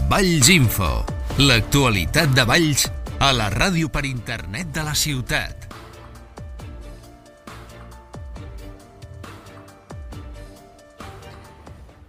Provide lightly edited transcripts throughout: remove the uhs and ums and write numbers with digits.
Valls Info, l'actualitat de Valls a la ràdio per internet de la ciutat.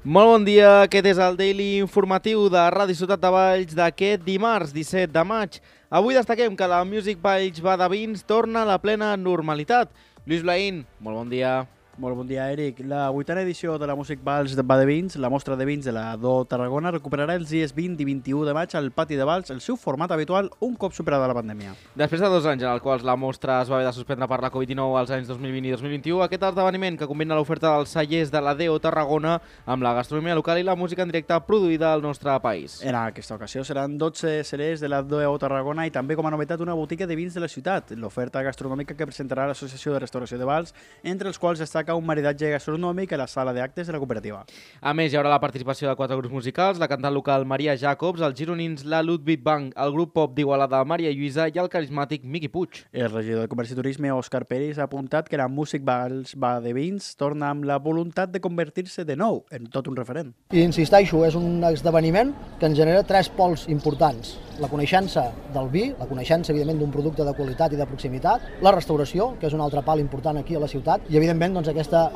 Molt bon dia, aquest és el Daily informatiu de Ràdio Ciutat de Valls d'aquest dimarts 17 de maig. Avui destaquem que la Music Valls va de vins torna a la plena normalitat. Lluís Blaín, molt bon dia. Molt bon dia, Eric. La 8a edició de la Music Valls va de vins, la mostra de vins de la Do Tarragona, recuperarà els dies 20 i 21 de maig al Pati de Valls, el seu format habitual un cop superada la pandèmia. Després de 2 anys en els quals la mostra es va haver de suspendre per la Covid-19 als anys 2020 i 2021, aquest esdeveniment que combina l'oferta dels cellers de la DO Tarragona amb la gastronomia local i la música en directe produïda al nostre país. En aquesta ocasió seran 12 cellers de la DO Tarragona i també com a novetat una botiga de vins de la ciutat, l'oferta gastronòmica que presentarà l'Associació de Restauració de Valls, entre els quals destaca un maridatge gastronòmic a la sala d'actes de la cooperativa. A més, hi haurà la participació de 4 grups musicals, la cantant local Maria Jacobs, els gironins la Ludwig Bank, el grup pop d'Igualada Maria Lluïsa i el carismàtic Miqui Puig. El regidor de Comerç i Turisme, Òscar Peris, ha apuntat que la Music Valls va de vins torna amb la voluntat de convertir-se de nou en tot un referent. I insisteixo, és un esdeveniment que ens genera 3 pols importants. La coneixença del vi, la coneixença, evidentment, d'un producte de qualitat i de proximitat, la restauració, que és un altre pal important aquí a la ciutat, i, evidentment, doncs, aquesta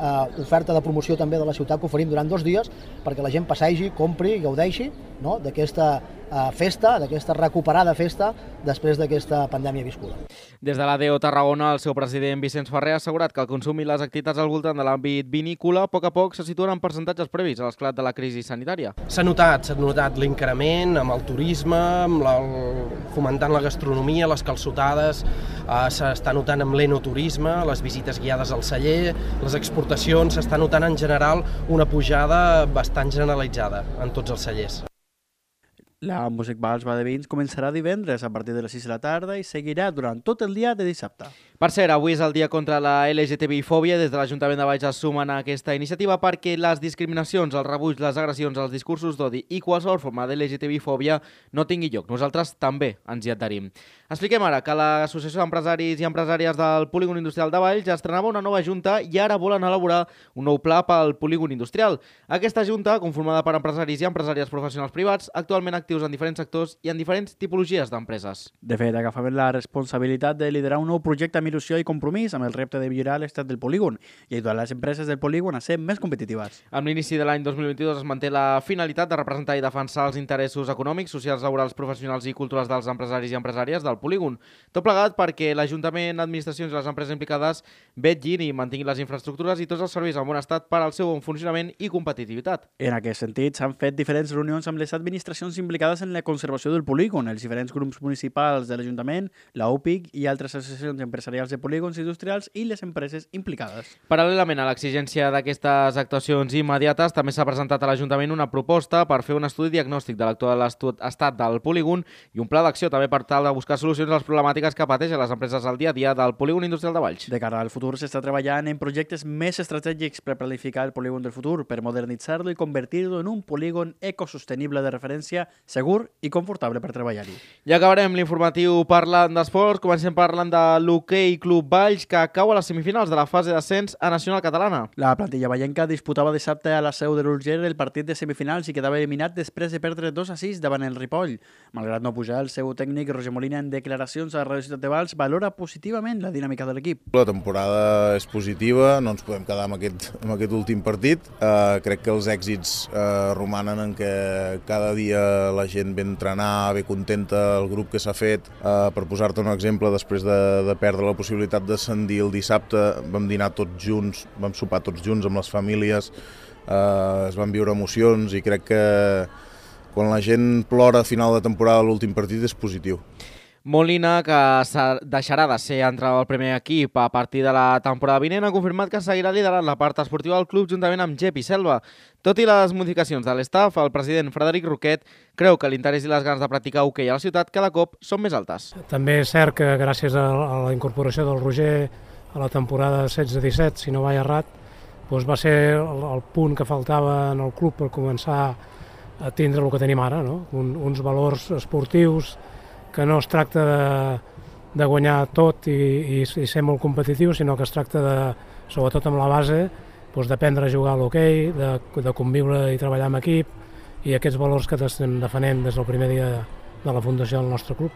oferta de promoció també de la ciutat que oferim durant 2 dies perquè la gent passegi, compri i gaudeixi, no?, d'aquesta festa, d'aquesta recuperada festa després d'aquesta pandèmia viscuda. Des de la DO Tarragona, el seu president Vicenç Ferrer ha assegurat que el consum i les activitats al voltant de l'àmbit vinícola a poc se situen en percentatges previs a l'esclat de la crisi sanitària. S'ha notat l'increment amb el turisme, amb fomentant la gastronomia, les calçotades, s'està notant amb l'enoturisme, les visites guiades al celler, les exportacions, s'està notant en general una pujada bastant generalitzada en tots els cellers. La Music Valls va de vins començarà divendres a partir de les 6 de la tarda i seguirà durant tot el dia de dissabte. Per cert, avui és el dia contra la LGTBI-fòbia. Des de l'Ajuntament de Valls es sumen a aquesta iniciativa perquè les discriminacions, els rebuig, les agressions, els discursos d'odi i qualsevol forma de LGTBI-fòbia no tingui lloc. Nosaltres també ens hi adherim. Expliquem ara que l'Associació d'Empresaris i Empresàries del Polígon Industrial de Valls estrenava una nova junta i ara volen elaborar un nou pla pel polígon industrial. Aquesta junta, conformada per empresaris i empresàries professionals privats, actualment actius en diferents sectors i en diferents tipologies d'empreses. De fet, agafaven la responsabilitat de liderar un nou projecte amb il·lusió i compromís amb el repte de millorar l'estat del polígon i ajudar les empreses del polígon a ser més competitives. Amb l'inici de l'any 2022 es manté la finalitat de representar i defensar els interessos econòmics, socials, laborals, professionals i culturals dels empresaris i empresàries del polígon. Tot plegat perquè l'Ajuntament, administracions i les empreses implicades vetllin i mantinguin les infraestructures i tots els serveis en bon estat per al seu bon funcionament i competitivitat. En aquest sentit, s'han fet diferents reunions amb les administracions implicades en la conservació del polígon, els diferents grups municipals de l'Ajuntament, la UPIC i altres associacions empresarials de polígons industrials i les empreses implicades. Paral·lelament a l'exigència d'aquestes actuacions immediates, també s'ha presentat a l'Ajuntament una proposta per fer un estudi diagnòstic de l'actual estat del polígon i un pla d'acció també per tal de buscar solucions a les problemàtiques que pateixen les empreses al dia a dia del polígon industrial de Valls. De cara al futur s'està treballant en projectes més estratègics per planificar el polígon del futur, per modernitzar-lo i convertir-lo en un polígon ecosostenible de referència, segur i confortable per treballar-hi. Ja acabarem l'informatiu parlant d'esports. Comencem parlant de l'Hoquei Club Valls, que cau a les semifinals de la fase d'ascens a Nacional Catalana. La plantilla vallenca disputava dissabte a la seu de l'Urgell el partit de semifinals i quedava eliminat després de perdre 2-6 davant el Ripoll. Malgrat no pujar, el seu tècnic Roger Molina en declaracions a Ràdio Ciutat de Valls valora positivament la dinàmica de l'equip. La temporada és positiva, no ens podem quedar amb aquest últim partit. Crec que els èxits romanen en que cada dia la gent ve a entrenar, ve contenta, el grup que s'ha fet. Per posar-te un exemple, després de perdre la possibilitat d'ascendir el dissabte, vam dinar tots junts, vam sopar tots junts amb les famílies, es van viure emocions i crec que quan la gent plora a final de temporada l'últim partit és positiu. Molina, que deixarà de ser entrenador del primer equip a partir de la temporada vinent, ha confirmat que seguirà liderant la part esportiva del club juntament amb Gepi Selva. Tot i les modificacions de l'estaf, el president Frederic Roquet creu que l'interès i les ganes de practicar hoquei a la ciutat cada cop són més altes. També és cert que gràcies a la incorporació del Roger a la temporada 16-17, si no vaig errat, doncs va ser el punt que faltava en el club per començar a tindre el que tenim ara, no? Uns valors esportius que no es tracta de guanyar tot i ser molt competitiu, sinó que es tracta de, sobretot amb la base, d'aprendre a jugar a l'hoquei, de conviure i treballar en equip i aquests valors que estem defenent des del primer dia de la fundació del nostre club.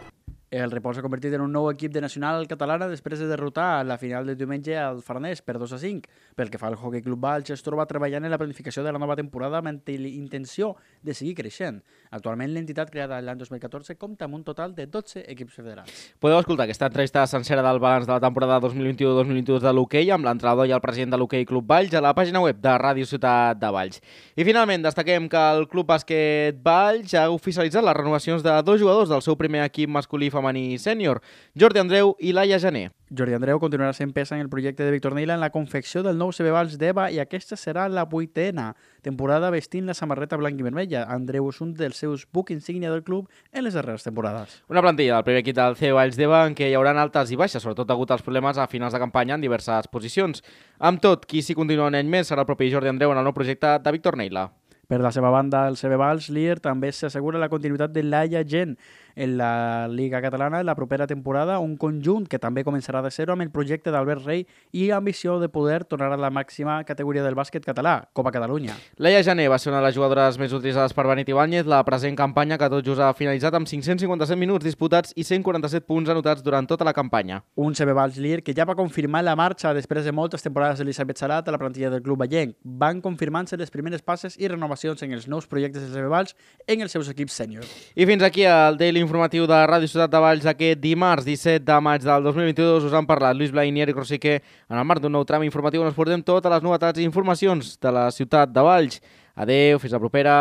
El Ripoll s'ha convertit en un nou equip de nacional catalana després de derrotar la final de diumenge al Farners per 2-5. Pel que fa al Hockey Club Valls, es troba treballant en la planificació de la nova temporada amb la intenció de seguir creixent. Actualment, l'entitat creada l'any 2014 compta amb un total de 12 equips federals. Podeu escoltar aquesta entrevista sencera del balanç de la temporada 2021-2022 de l'hoquei amb l'entrenador i el president de l'Hockey Club Valls a la pàgina web de Ràdio Ciutat de Valls. I finalment, destaquem que el Club Bàsquet Valls ha oficialitzat les renovacions de 2 jugadors del seu primer equip masculí femení sènior, Jordi Andreu i Laia Jané. Jordi Andreu continuarà sent peça en el projecte de Víctor Neila en la confecció del nou CB Valls d'Eva i aquesta serà la 8ª temporada vestint la samarreta blanc i vermella. Andreu és un dels seus buc insígnia del club en les darreres temporades. Una plantilla del primer equip del CB Valls d'Eva en què hi haurà altes i baixes, sobretot degut als problemes a finals de campanya en diverses posicions. Amb tot, qui s'hi continua un any més serà el propi Jordi Andreu en el nou projecte de Víctor Neila. Per la seva banda, el CB Valls Lier també s'assegura la continuïtat de Laia Gent en la Lliga Catalana en la propera temporada, un conjunt que també començarà de zero amb el projecte d'Albert Rey i ambició de poder tornar a la màxima categoria del bàsquet català, Copa Catalunya. Laia Jané va ser una de les jugadores més utilitzades per Benet Ibáñez, la present campanya que tot just ha finalitzat amb 557 minuts disputats i 147 punts anotats durant tota la campanya. Un CB Valls Lier que ja va confirmar la marxa després de moltes temporades d'Elisabet Salat a la plantilla del club vallenc. Van confirmant-se les primeres passes i renovacions en els nous projectes del CB Valls en els seus equips sèniors. I fins aquí el Daily informatiu de Ràdio Ciutat de Valls aquest dimarts 17 de maig del 2022. Us han parlat Lluís Blai i Eric Rosique en el marc d'un nou tram informatiu on us portem totes les novetats i informacions de la ciutat de Valls. Adeu, fins la propera.